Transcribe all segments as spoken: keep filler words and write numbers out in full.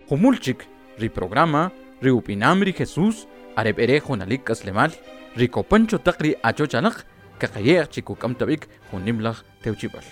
Jumul chik ri programa ri upinam ri Jesús areb'ere junalik k'aslemal ri kopan cho taq ri achochalaq kaqaye'j chi kuk'amtab'ik junimlaj tewchib'al.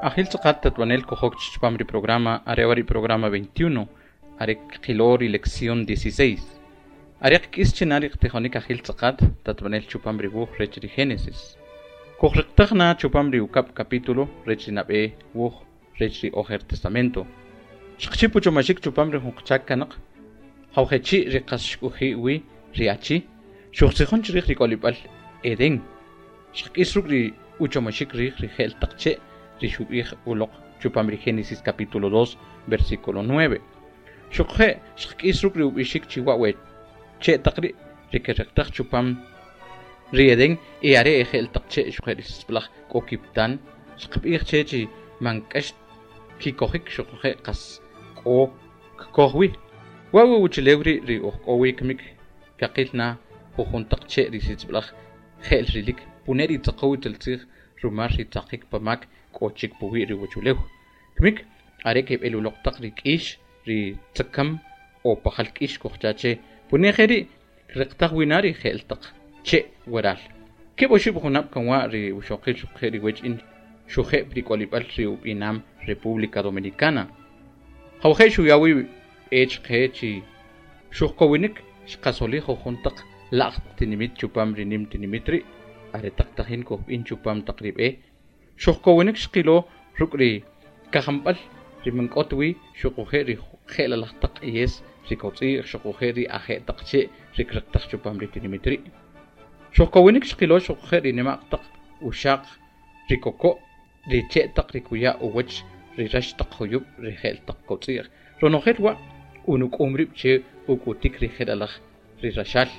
Ajil tzaqat tatwanel kojok chupam ri programa arewari programa veintiuno arek qilori lección dieciséis. Arek k'is chinari qtijonik ajil tzaqat tatwanel chupam ri wuj rech ri Génesis. Kojriqtaqna chupam ri ukab capítulo rech ri nab'e wuj rech ri Ojer Testamento. Xqchipu chomashik chupam ri junqchak kanaq jawjechi ri qas xk'uji wi ri achi xuqtzijon chrij ri k'olib'al Edén. Xqk'is ruk' ri uchomashik rij ri je'l taq che' ri xub'ij uloq chupam ri Génesis capítulo dos versículo nueve. Xuqje' xqk'is ruk' ri ub'ixik chiwa we che' taq ri' ri keriqtaq chupam ri Edén e are e je'l taq che' xuqje' ri sib'alaj k'o kiptan xqb'ij che chi man k'ax kikojik xuqje' qas k'o kkoj wi. Wa wi uchilew ri ri uj k'o wi kmik kaqil na jujun taq che' ri sib'alaj je'l rilik pune ri tzaqow tzij rumar ri tzaqik pamak k'o chik puwi' ri wachulew. Kmik are keb'el uloq taq ri k'ix ri tzakam o pajal k'ix kojchache pune jeri riqtaq wina ri je'l taq che' waral. Keb' oxib' junab' kanwa ri uxoqil xuqje' ri wech in xuje' ri k'olib'al ri ub'inam República Dominicana. Jawje' xuyawi b'ech qe chi xujkowinik xqasolij jujun taq la'j tinimit chupam ri nim tinimit ri' are taq tajin kojb'in chupam taq ri b'e xujkowinik xqilo ruk' ri kajamb'al ri man k'ot wi xuquje' ri je'lalaj taq q'iyes ri kotz'i'j xuquje' ri aje' taq che' ri kriqtaq chupam ri tinimit ri'. Xujkowinik xqilo xuquje' ri nima'q taq uxaq ri koko' ri che' taq ri kuya' uwach ri rax taq juyub' ri je'l taq kotz'i'j ronojel wa' unuk'um rib' che uk'utik ri je'lalaj ri raxal.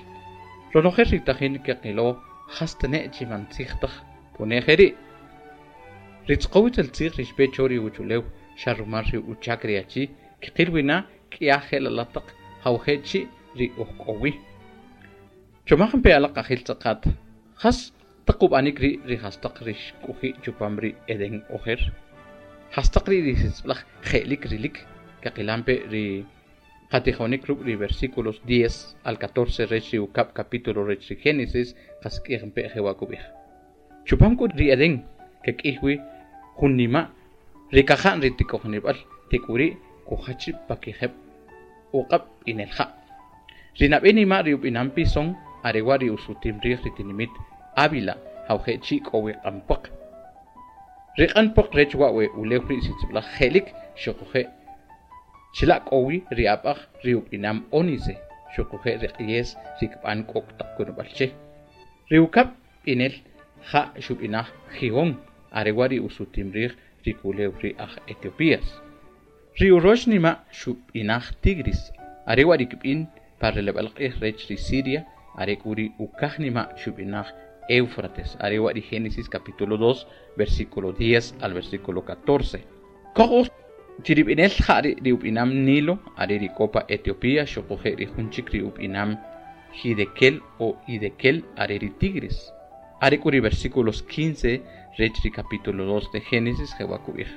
Ronojel ri tajin keqilo jastane' chi man tzij taj pune jeri'. Ri tzqowitel tzij ri xpe cho ri uchulew xa rumal ri uchak ri achi kqil wi na k'ia je'lalaj taq jawje' chi' ri uj k'o wi. Chomaj pe alaq ajil tz'aqat jas taq ub'anik ri' ri jastaq ri xk'uji' chupam ri Edén ojer jastaq ri' ri sitz'b'alaj je'lik rilik kaqilampe ri qatijonik ruk' ri versículos diez al catorce rech ri ukab' capítulo rech ri Génesis qasik'ij pe jewa' kub'ij. Chupam k'ut ri Edén kak'ij wi jun nima' ri kaja'n ri tik'ojnib'al tek'uri' kujach rib' pakijeb' uq'ab' b'inel ja'. Ri nab'e nima' ri ub'inam Pisón are wa' ri usutim riij ri tinimit Ávila jawje' chi' k'o wi q'an puaq. Ri q'an puaq rech wa' we ulew ri' sitz'b'alaj je'lik xuquje' chila' k'o wi ri ab'aj ri ub'inam ónice xuquje' ri q'iyes ri kb'an k'ok' taq kunub'al che. Ri ukab' b'inel ja' xub'inaj Gihón are wa' ri usutim riij ri kulew ri aj Etiopías. Ri urox nima' xub'inaj Tigris are wa' ri kb'in pa releb'al q'ij rech ri Siria are k'u ri ukaj nima' xub'inaj Éufrates are wa' ri Génesis capítulo dos versículo diez al versículo catorce. Koj chirib'inel ja' ri ub'inam Nilo are ri k'o pa Etiopía xuquje' ri jun chik ri ub'inam Hidekel o Idekel are ri Tigris. Are k'u ri versículos quince rech ri capítulo dos de Génesis jewa' kub'ij.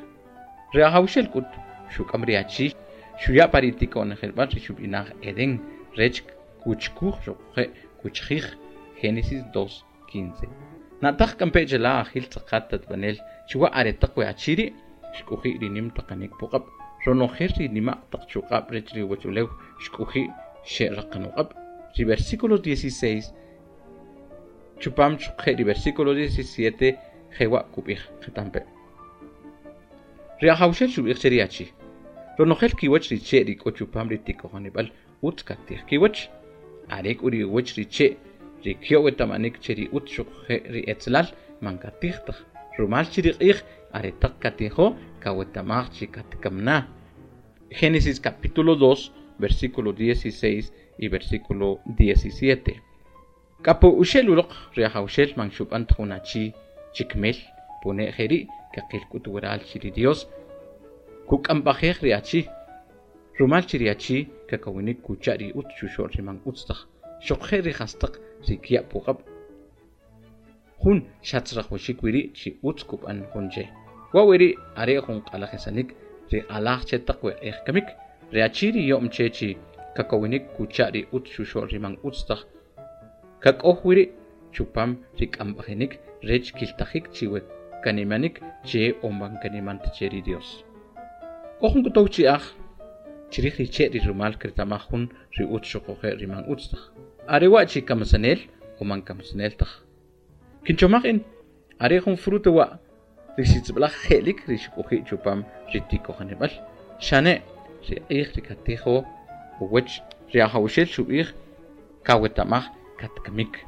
Ri ajawxel k'ut xuk'am ri achi xuya' pa ri tiko'njelb'al ri xub'inaj Edén rech kuchkuj xuquje' kuchjij. Génesis dos quince. Na'taj k'ampe chela ajil tz'aqat tatb'anel chiwa aretaq we achi ri' xk'uji' ri nim taqanik puq'ab' ronojel ri nima' taq chuq'ab' rech ri uwachulew xk'uji' xe'raqan uq'ab'. Ri versículo dieciséis chupam chuqe' ri versículo diecisiete jewa' kub'ij qetampe. Ri ajawxel xub'ij che ri achi ronojel kiwach ri che' ri k'o chupam ri tikojonib'al utz katij kiwach are k'u ri uwach ri che' ri kyo' eta'manik che ri utz xuquje' ri etzlal man katij taj rumal chi ri q'ij aretaq katijo kawetamaj chi katkamna. Génesis capítulo dos versículo dieciséis y versículo diecisiete. Kapu uxel uloq ri ajawxel man xub'an jun achi chikmel pune jeri' kaqil k'ut waral chi ri Dios kuk'amb'ajej ri achi rumal chi ri achi kakawinik kucha' ri utz chuxo'l ri man utz taj xuquje' ri jastaq ri kya' puq'ab' jun xatzrajwaxik wiri' chi utz kub'an jun che. Wa' wiri' are jun q'alajisanik ri q'alaj che taq we q'ij kamik ri achi ri yo'm che chi kakawinik kucha' ri utz chuxo'l ri man utz taj kak'oj wiri' chupam ri k'amb'ajinik rech kiltajik chi we kanimanik che o man kanimant che ri Dios. K'o jun k'utow chi'aj chirij ri che' ri rumal kretamaj jun ri utz xuquje' ri man utz taj. Are wa' chi kamasanel o man kamasanel taj. Kinchomaj in are jun fruto wa' ri sitz'b'alaj je'lik ri xk'uji' chupam ri tikojonib'al xane' ri q'ij ri katijo uwach ri ajawxel xub'ij kawetamaj katkamik.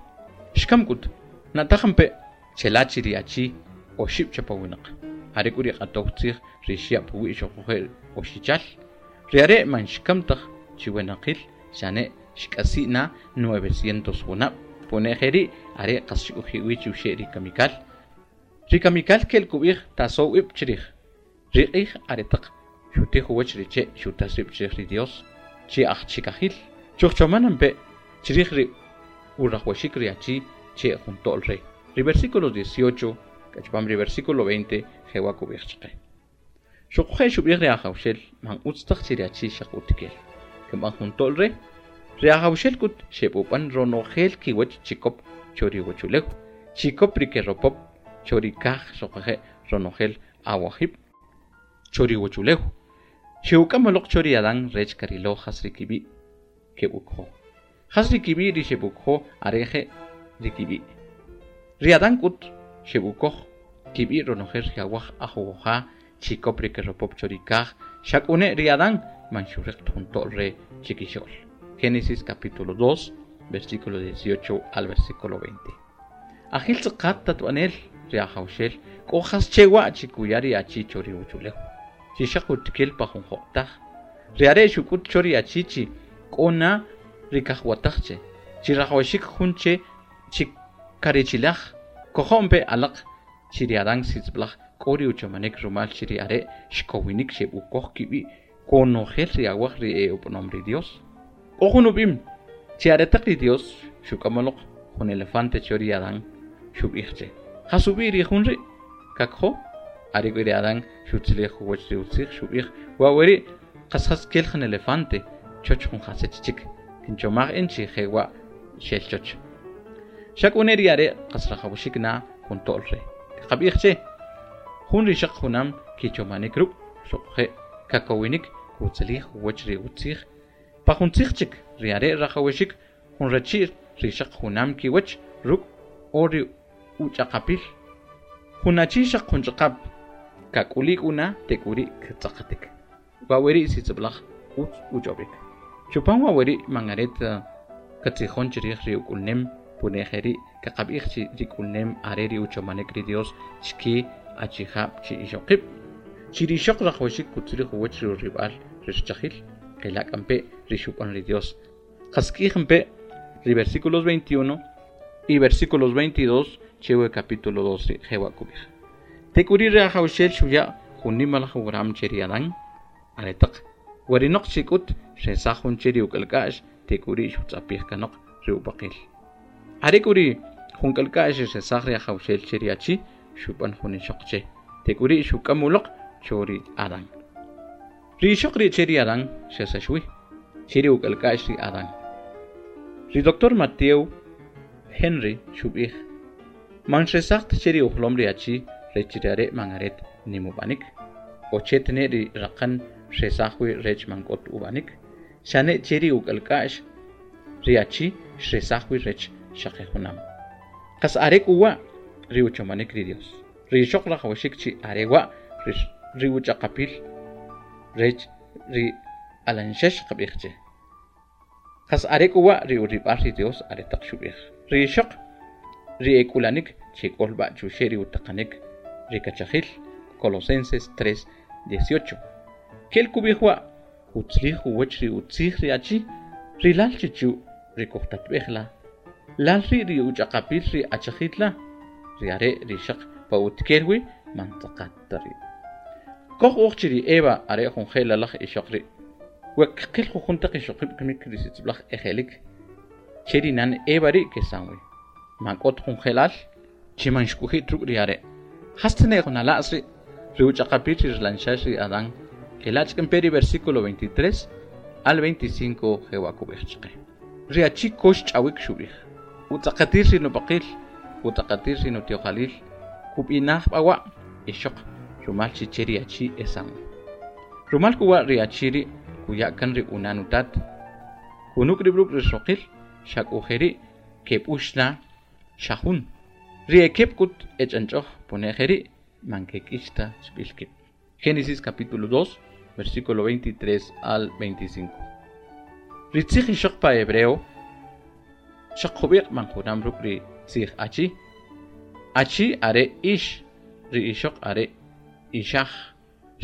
Xkam k'ut na'taj pe chela chi ri achi oxib' chapawinaq are k'u ri q'atow tzij ri xya' puwi' xuquje' oxichal ri are' man xkam taj chiwenaqil xane' xk'asi' na novecientos junab' pune jeri' are qas xk'uji' wi chuxe' ri kamikal. Ri kamikal kel kub'ij tasow ib' chrij ri q'ij aretaq xutij uwach ri che' xutas rib' chrij ri Dios chi aj chikajil chujchomanampe chrij ri urajwaxik ri achi che jun to'l re. Ri versículo dieciocho kachpam ri versículo veinte jewa kub'ij chaqe. Xuquje' xub'ij ri ajawxel man utz taj chi ri achi xaq utikel kinb'an jun to'l re ri ajawxel k'ut xeb'ub'an ronojel kiwach chikop cho ri uwachulew chikop ri keropop cho ri kaj xuquje' ronojel awajib' cho ri uwachulew xe'uk'am uloq cho ri Adán rech karilo jas ri kib'i' keb'ukjo jas ri kib'i' ri xeb'ukjo are je' ri kib'i'. Ri Adán k'ut xeb'ukoj kib'i' ronojel ri awaj ajuwoja chikop ri keropop cho ri kaj xak'une ri Adán man xuriq jun to'l re chikixo'l. Génesis capítulo dos versículo dieciocho al versículo veinte. Ajil tz'aqat tatb'anel ri ajawxel k'o jas chewa' chi kuya ri achi cho ri uwachulew chi xaq utikel pa jun jo'taj ri are' xuk'ut cho ri achi chi k'o na ri kajwataj che chi rajwaxik jun che chi karechilaj kojo'mpe alaq chi ri Adán sitz'b'alaj K'o ri uchomanik rumal chi ri are' xkowinik xeb'ukoj kib'i' konojel ri awaj ri e ub'anom ri Dios. K'o jun ub'im chi aretaq ri Dios xuk'amoloq jun elefante cho ri Adán xub'ij che jas ub'i' ri jun ri' kakjo are k'u ri Adán xutzilij uwach ri utzij xub'ij wa weri' qas jas kel jun elefante choch jun jasech chik kinchomaj in chi jewa' xel choch xak'une ri are' qas rajawxik na jun to'l re kaqab'ij che jun ri xaq junam kichomanik ruk' xuquje' kakowinik kutzilij uwach ri utzij pa jun tzij chik ri are' rajawxik jun rachi'l ri xaq junam kiwach ruk' o ri uch'aqapil jun achi xaq jun ch'aqap kak'ulik una tek'uri' ktz'aqatik wa weri' sitz'ib'laj utz uch'ob'ik chupan wa weri' man aret katzijon chirij ri uk'ulnem pune jeri' kaqab'ij chi ri k'ulnem are ri uchomanik ri Dios chike achijab' chi ixoqib' chi ri ixoq rajawxik kutzilij uwach ri urib'al ri richajil qilak'ampe ri xub'an ri Dios qask'ijmpe ri versículos veintiuno y versículos veintidós chewe capítulo dos ri jewa kub'ij tek'uri ri ajawxel xuya' jun nimalaj ugram che ri Adán aretaq warinoq chik'ut xresaj jun che ri uk'alk'a'x tek'uri xutz'apij kanoq ri ub'aqil are k'u ri jun k'alk'a'x xresaj ri ajawxel che ri achi xub'an jun ixoq che tek'uri xuk'am uloq cho ri Adán ri ixoq ri che ri Adán xesaxwi che ri uk'alk'a'x ri Adán ri doctor Mateo Henry xub'ij man xresaj che ri ujlom ri achi rech ri are' man aret nim ub'anik o che tne ri raqan xresaj wi rech man k'ot ub'anik xane che ri uk'alk'a'x ri achi xresaj wi rech xaqe junam qas are k'u wa' ri uchomanik ri Dios ri ixoq rajawxik chi are wa' ri uch'aqapil rech ri alanxex qab'ij che qas are k'u wa' ri urib'al ri Dios aretaq xub'ij ri ixoq ri ek'ulanik chek'ol b'a chuxe' ri utaqanik ri kachajil Colosenses tres dieciocho kel kub'ij wa' kutzlij uwach ri utzij ri achi ri lal chichu ri kujtatb'ej la lal ri' ri uch'aqapil ri achajil la ri are' ri xaq pa utkel wi man tz'aqat ta ri' koj uj chi ri Eva are' jun je'lalaj ixoq ri' we kqil jujun taq ixoqib' kimik ri sitz'ib'laj ejelik che ri nan Eva ri' kesan wi man k'ot jun je'lal chi man xk'uji' ruk' ri are' jas tne jun ala'as ri' ri uch'aqapil ri rilanxax ri Adán qilach k'empe ri versículo veintitrés al veinticinco jewa kub'ij chaqe ri achi kox ch'awik xub'ij utz'aqatil ri nub'aqil utz'aqatil ri nutyojalil kub'inaj b'awa' ixoq rumal chi che ri achi esan rumal k'uwa' ri achi ri' kuya' kan ri unan utat kunuk' rib' ruk' ri xoqil xak'ujeri' keb'ux na xajun ri ekeb' k'ut ech'anch'oj pune jeri' man kek'ix ta chb'il kib' Génesis capítulo dos versículo veintitrés al veinticinco ri tzij ixoq pa hebreo xaq jub'iq' man junam ruk' ri tzij achi achi are ix ri ixoq are ixaj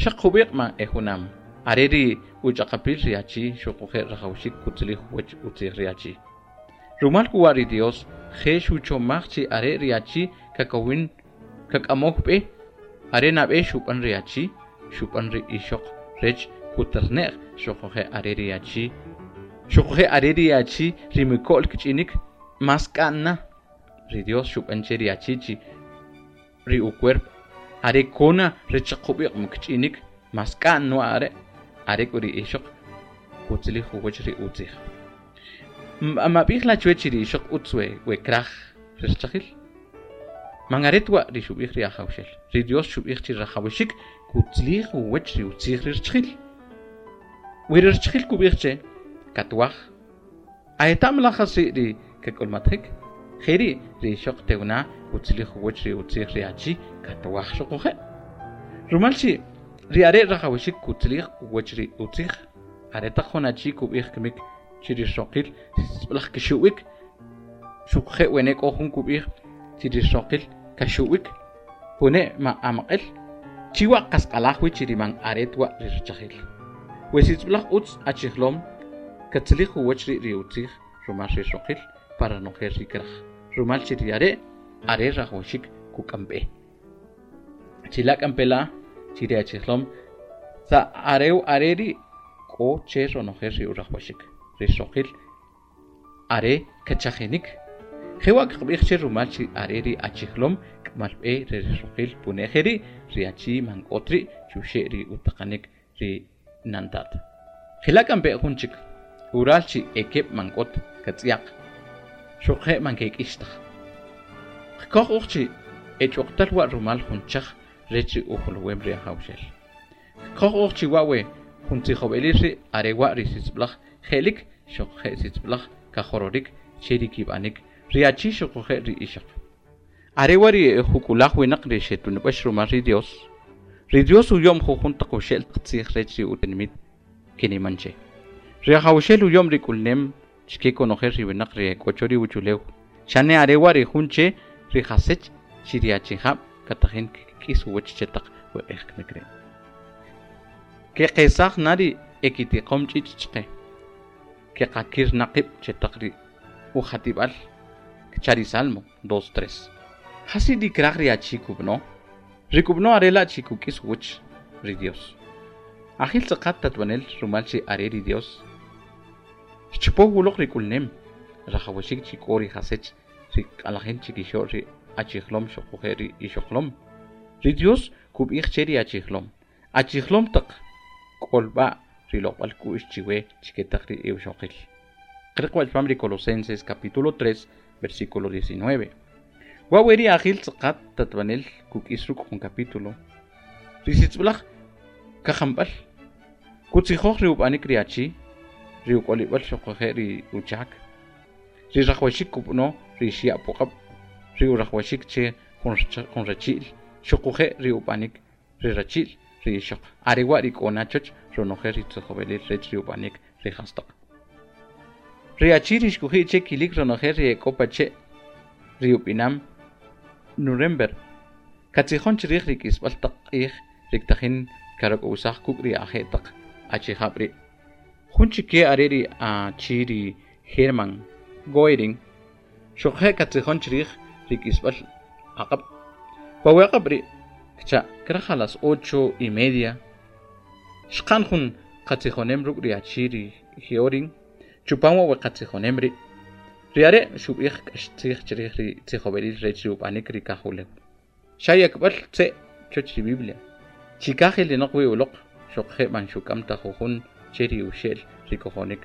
xaq jub'iq' man e junam are ri uch'aqapil ri achi xuquje' rajawxik kutzilij uwach utzij ri achi rumal k'uwa' ri Dios je xuchomaj chi are ri achi kakowin kak'amoj b'e are nab'e xub'an ri achi xub'an ri ixoq rech kuterne'j xuquje' are ri achi xuquje' are ri achi ri miko'l kich'inik mas k'a'n na ri Dios xub'an che ri achi chi ri ucuerpo are kona rech jub'iq' kich'inik mas k'a'n no are are k'u ri ixoq kutzilij uwach ri utzij mab'ij la chwech chi ri ixoq utz we we kraj richajil man aret wa' ri xub'ij ri ajawxel ri Dios xub'ij chi rajawxik kutzilij uwach ri utzij ri richajil we ri richajil kub'ij che katwaj aetam la jas ri ri kak'ulmatjik jeri' ri ixoq tewna kutzilij uwach ri utzij ri achi katwaj xuquje' rumal chi ri are' rajawxik kutzilij uwach ri utzij aretaq jun achi kub'ij kimik chi ri xoqil sib'alaj kixu'wik xuquje' wene k'o jun kub'ij chi ri xoqil kaxu'wik pune ma amaq'el chiwa' qas q'alaj wi chi ri man aret wa' ri richajil we sitz'ib'laj utz achijlom katzilij uwach ri ri utzij rumal ri xoqil para nojel ri kraj rumal chi ri are' are rajawxik kuk'am b'e Chila k'ampela chi ri achijlom sa arew areri k'o che ronojel ri urajwaxik ri xoqil are kachajinik jewa kqb'ij che rumal chi are ri achijlom k'amal b'e re ri xoqil punejeri ri achi man k'ot ri chuxe' ri utaqanik ri nantat jila k'ampe jun chik ural chi ekeb' man k'ot katz'yaq xuqje' man kek'ixtaj qkoj uj chi ech'uqtal wa rumal jun chaj rech ri ujuluwem ri ajawxel qkoj uj chi wa we jun tzijob'elil ri are wa ri sitzb'laj je'lik xuqje' sitzb'laj kajororik che ri kib'anik ri achi xuquje' ri ixoq are wa ri juk'ulaj winaq ri xetunb'ax rumal ri Dios ri Dios uyom jujun taq uxe'l tzij rech ri utinimit kiniman che ri ajawxel uyom ri k'ulnem chike konojel ri winaq ri k'o ri uchulew xane are wa ri jun che ri jasech chi ri achijab' katajin kik'is uwach che taq we q'ij kmik ri' keqesaj na ri ekitiqom ch'ich' chqe keqakir naqib' che taq ri ujatib'al kcha ri Salmo dos tres jasi ri kraj ri achi kub'no ri kub'no are la' chi kuk'is uwach ri Dios ajil tz'aqat tatb'anel rumal chi are ri Dios xchupow uloq ri k'ulnem rajawaxik chi k'o ri jasech ri q'alajin chikixo'l ri achijlom xuquje' ri ixoqlom ri Dios kub'ij che ri achijlom achijlom taq k'olb'a ri loq'b'al k'u'x chiwe chiketaq ri iwxoqil qriq wachpam ri Colosenses capítulo tres versículo diecinueve wa weri ajil tz'aqat tatb'anel kuk'is ruk' jun capítulo ri sitzb'laj kajamb'al kutzijoj ri ub'anik ri achi ri uk'olib'al xuquje' ri uchak ri rajwaxik kub'no ri xya' puq'ab' ri urajwaxik che jun rachi'l xuquje' ri ub'anik ri rachi'l ri ixoq are wa ri k'o na choch ronojel ri tzijob'elil rech ri ub'anik ri jastaq ri achi ri xkuji' che kilik ronojel ri ek'o pache' ri ub'inam Nuremberg katzijon chrij ri k'isb'al taq q'ij ri ktajin karak'owsaj kuk' ri aje' taq achijab' ri' jun chike are ri achi ri Hermann Göring xuqje' katzijon chrij ri k'isb'al aq'ab' pa we aq'ab' ri' kcha kraj a las ocho y media xqan jun qatzijonem ruk' ri achi ri Göring chupam wa we qatzijonem ri' ri are' xub'ij k'ax tzij chrij ri tzijob'elil rech ri ub'anik ri kajulew xayakb'al tze' choch ri Biblia chikaj ilinoq wi uloq xuqje' man xuk'am ta jujun che ri uxe'l ri kojonik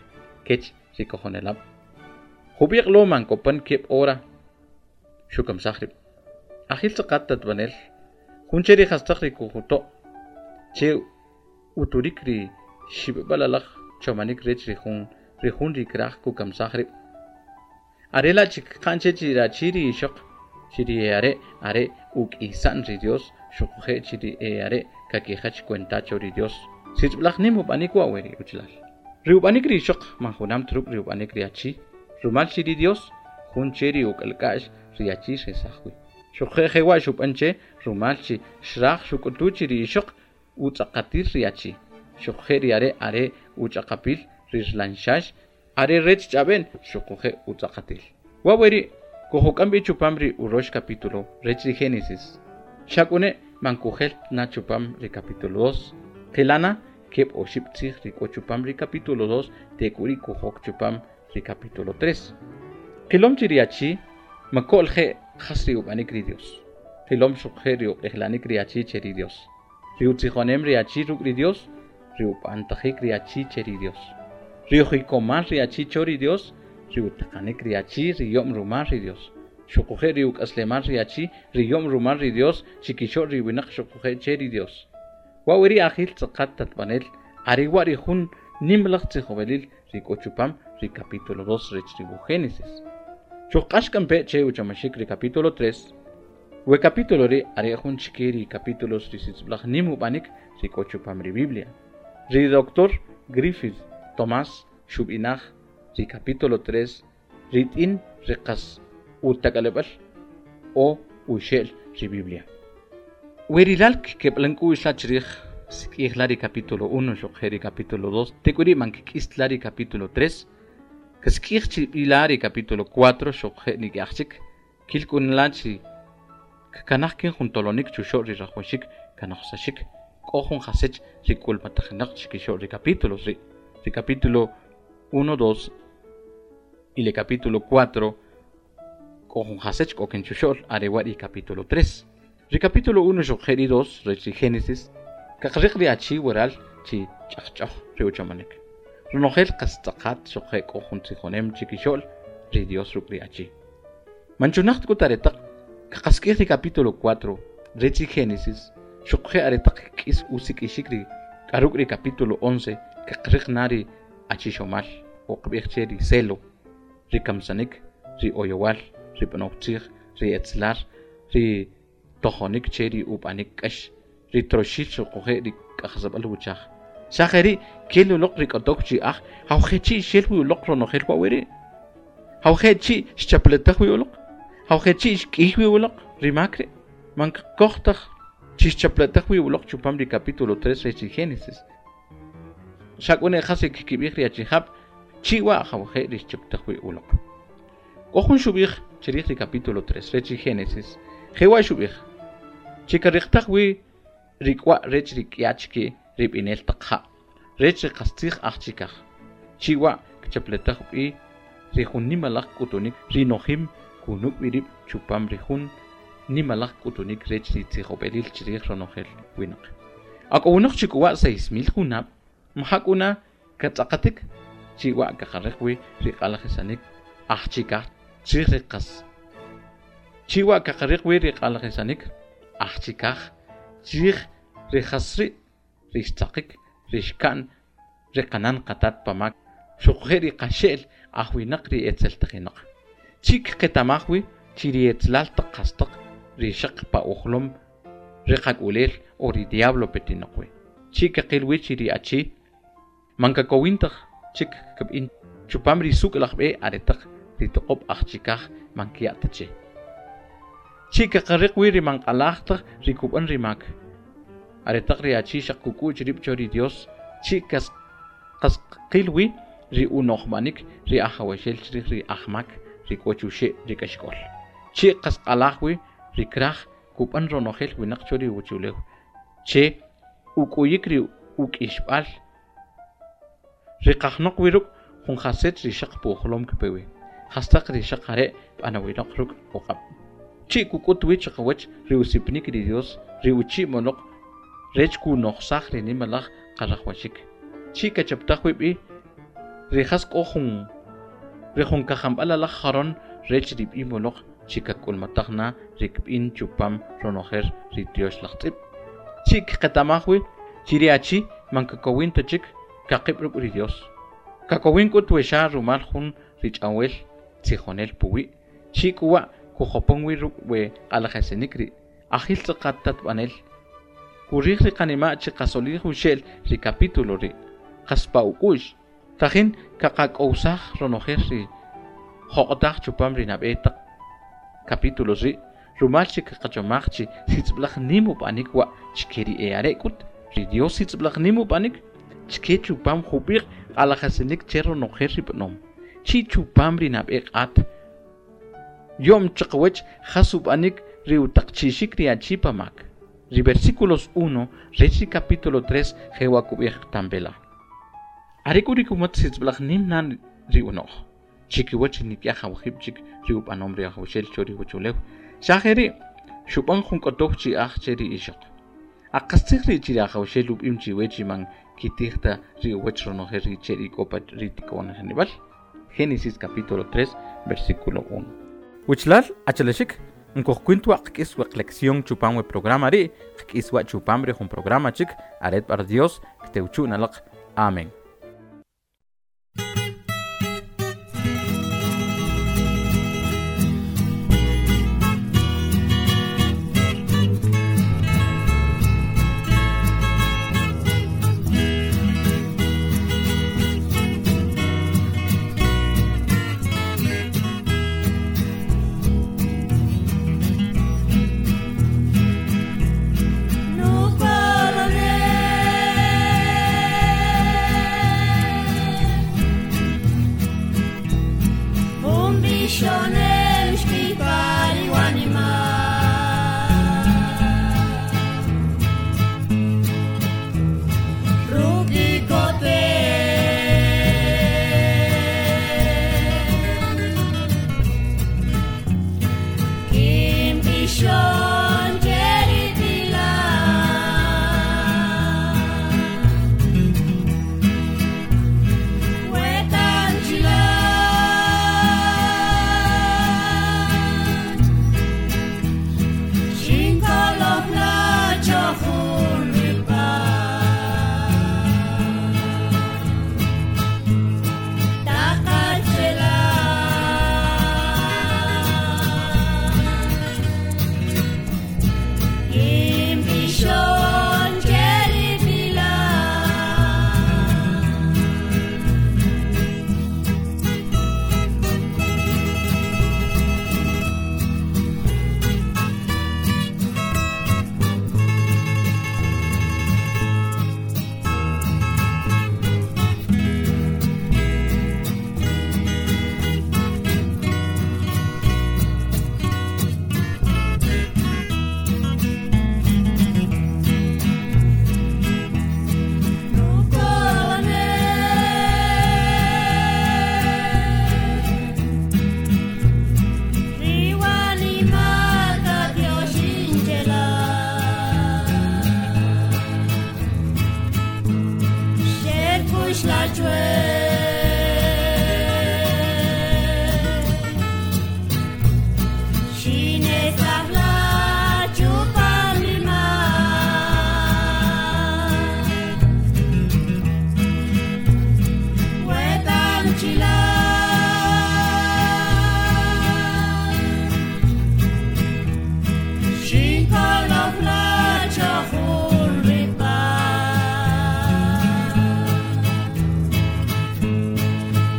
kech ri kojonelab' jub'iq lo man kopan keb' hora xukamsaj rib' ajil tz'aqat tatb'anel jun che ri jastaq ri kujuto' che uturik ri xib'b'al alaj chomanik rech ri jun ri jun ri kraj kukamsaj rib' are la' chik qan che chi rachi ri ixoq chi ri are' are uk'isa'n ri Dios xuquje' chi ri are' kakijach cuenta cho ri Dios sitzb'laj nim ub'anik wa we ri uchlal ri ub'anik ri ixoq man junam ta ruk' ri ub'anik ri achi rumal chi ri Dios jun che ri uk'alk'a'x ri achi xesaj wi xuqje' jewa' xub'an che rumal chi xraj xuk'utu chi ri ixoq utz'aqatil ri achi xuqje' ri are' are uch'aqapil ri rlanxax are rech ch'ab'en xuquje' utz'aqatil wa we ri' kujuk'am b'i chupam ri urox capítulo rech ri Génesis xak'une man kujel na chupam ri capítulo dos qilana keb' oxib' tzij ri k'o chupam ri capítulo dos tek'uri kujok chupam ri capítulo tres qilom chi ri achi mako'l je' jas ri ub'anik ri Dios qilom xuqje' ri uq'ijlanik ri achi che ri Dios ri utzijonem ri achi ruk' ri Dios ri ub'antajik ri achi che ri Dios ri ujikomal ri achi cho ri Dios ri utaqanik ri achi ri yom rumal ri Dios xuquje' ri uk'aslemal ri achi ri yom rumal ri Dios chikixo'l ri winaq xuquje' che ri Dios wa wi ri ajil tz'aqat tatb'anel are wa ri jun nimlaj tzijob'elil ri k'o chupam ri capítulo dos rech ri wuj Génesis xuq'ax k'ampe che uchamaxik ri capítulo tres we capítulo ri are jun chike ri capítulos ri sitzb'laj nim ub'anik ri k'o chupam ri Biblia ri doctor Griffith Tomás xub'inaj ri capítulo tres rit'in ri qas utak'aleb'al o uxe'l ri Biblia werilal keb'lan k'u'x la chrij sik'ij la ri capítulo uno xuqje' ri capítulo dos tek'uri' man kk'is la ri capítulo tres kasik'ij chi b'ila ri capítulo cuatro xuqje' nik'yaj chik kilk'un la chi kkanaj kin jun tolonik chuxo'l ri rajwaxik Kanoqsaxik k'o jun jasech ri k'ulmatajinaq chikixo'l ri capítulos ri ri capítulo uno, dos y le capítulo cuatro k'o jun jasech k'o kinchuxo'l are wa ri capítulo tres. Ri capítulo uno xuqje' ri dos rech ri Génesis kaqriq ri achi waral chi ch'ajch'oj ri uchomanik. Ronojel qas tz'aqat xuqje' k'o jun tzijonem chikixo'l ri Dios ruk' ri achi. Manchunaq k'ut aretaq kaqask'ij ri capítulo cuatro rech ri Génesis xuqje' aretaq k'is usik'ixik ri k'aruk' ri capítulo once kaqriq na ri achixomal o qb'ij che ri celo, ri kamsanik, ri oyowal, ri b'anoj tzij, ri etzlar, ri tojonik che ri ub'anik k'ax, ri troxil xuquje' ri k'ajsab'al wuchaj. Xa jeri' kel uloq ri k'otok chi'aj jawje' chi' xel wi uloq ronojel wa wiri'. Jawje' chi' xchapletaj wi uloq, jawje' chi' xk'ij wi uloq ri mak ri'. Man k'oj taj chi xchapletaj wi uloq chupam ri capítulo tres rech ri Génesis. Xak'une jas ri kkib'ij ri achijab' chi' wa jawje' ri xchaptaj wi uloq. K'o jun xub'ij chirij ri capítulo tres rech ri Génesis, jewa' xub'ij chi kariqtaj wi ri k'wa' rech ri k'ya chike ri b'inel taq ja' rech ri qastzij aj chikaj. Chi' wa' kchapletaj b'i ri jun nimalaj k'utunik ri nojim kunuk' wi rib' chupam ri jun nimalaj k'utunik rech ri tzijob'elil chirij ronojel winaq. Ak'owinaq chi k'uwa' seis mil junab' mjak'una katz'aqatik chi wa' kaqariq wi ri q'alajisanik aj chikaj chirij ri qas. Chi wa' kaqariq wi ri q'alajisanik aj chikaj chirij ri jasri' ri xtzaqik ri xka'n ri qanan qatat pamak xuquje' ri qaxe'l aj winaq ri etzeltajinaq. Chi kqetamaj wi chi ri etzlal taq qastaq ri xaq pa ujlom ri qak'ulel o ri diablo petinaq wi. Chi kaqil wi chi ri achi man kakowin taj chik kab'in chupam ri suk' laj b'e aretaq ri toq'ob' aj chikaj man kiya' ta che. Chi kaqariq wi ri man q'alaj taj ri kub'an ri mak. Aretaq ri achi xaq kuk'u'ch rib' cho ri Dios chi kas qasqil wi ri unojmanik ri ajawaxel chirij ri ajmak ri k'o chuxe' ri k'axk'ol. Chi qasq'alaj wi ri kraj kub'an ronojel winaq cho ri uwachulew che uk'uyik ri uk'ixb'al ri qajnoq wi ruk' jun jasech ri xaq pujlom kpe wi. Jastaq ri xaq are' b'anawinoq ruk' uq'ab'. Chi kuk'ut wi chiqawach ri usipnik ri Dios ri uchi' moloq rech kunojsaj ri nimalaj qarajwaxik. Chi kachaptaj wi b'i ri jas k'o jun ri jun kajamb'al alaj jaron rech ri b'i moloq chi kak'ulmataj na ri kb'in chupam ronojel ri Tyox laj tz'ib'. Chi kqetamaj wi chi ri achi man kakowin ta chik kaqib' ruk' ri Dios. Kakowin k'ut wexa rumal jun ri ch'awel tzijonel puwi'. Chi k'uwa' kujopon wi ruk' we q'alajesinik ri ajil tz'aqat tatb'anel. Kurij ri qanima' chi qasolij uxe'l ri capítulo ri' qas pa uk'u'x. Tajin kaqak'owsaj ronojel ri joq'otaj chupam ri nab'e taq capítulos ri' rumal chi kaqachomaj chi sitz'b'laj nim ub'anik wa' chike ri e are' k'ut ri Dios sitz'b'laj nim ub'anik chike chupam jub'iq q'alajesinik che ronojel ri b'anom. Chi chupam ri nab'e q'at yo'm chiqawach jas ub'anik ri utaqchixik ri achi pamak. Ri versículos uno rech ri capítulo tres jewa kub'ij tambela. Are k'u ri kumat sitz'b'laj nim nan ri uno'j. Chikiwach nik'yaj awajib' chik ri ub'anom ri Ajawaxel cho ri uwachulew. Xa jeri' xub'an jun k'otoj chi'aj che ri ixoq. Aqastzij ri chi ri Ajawaxel ub'im chiwe chi man kitij ta ri uwach ronojel ri che ri k'o pa ri tiko'nijnib'al. Génesis capítulo tres, versículo uno. Wichlal, achalexik, nkojkwint wa qk'is weq lección chupam we programa ri', qk'is wa chupam ri jun programa chik, aret par Dios, ktewchu nalaq. Amén. No para Bishon Cheritila Wetan Chila Shinkolofla Chohun Ripa Takachela Imbishon Cheripila Nukone Riwani mata Dioshinchela Sherpush la chue Shine sahla chupam lima Wetan chila Shinkolofla chohun ripa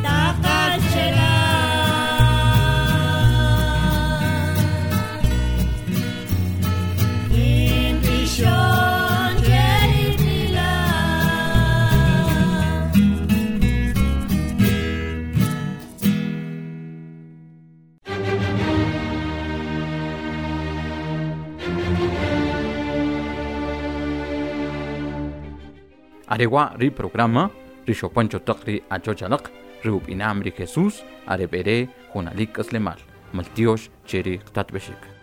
Takachela Imbishon Cheritila Arewa ri programa ri xopancho taq ri achochalaq ri upinam ri Jesús arebere junalik k'aslemal maltiox cheri qtatb'exik.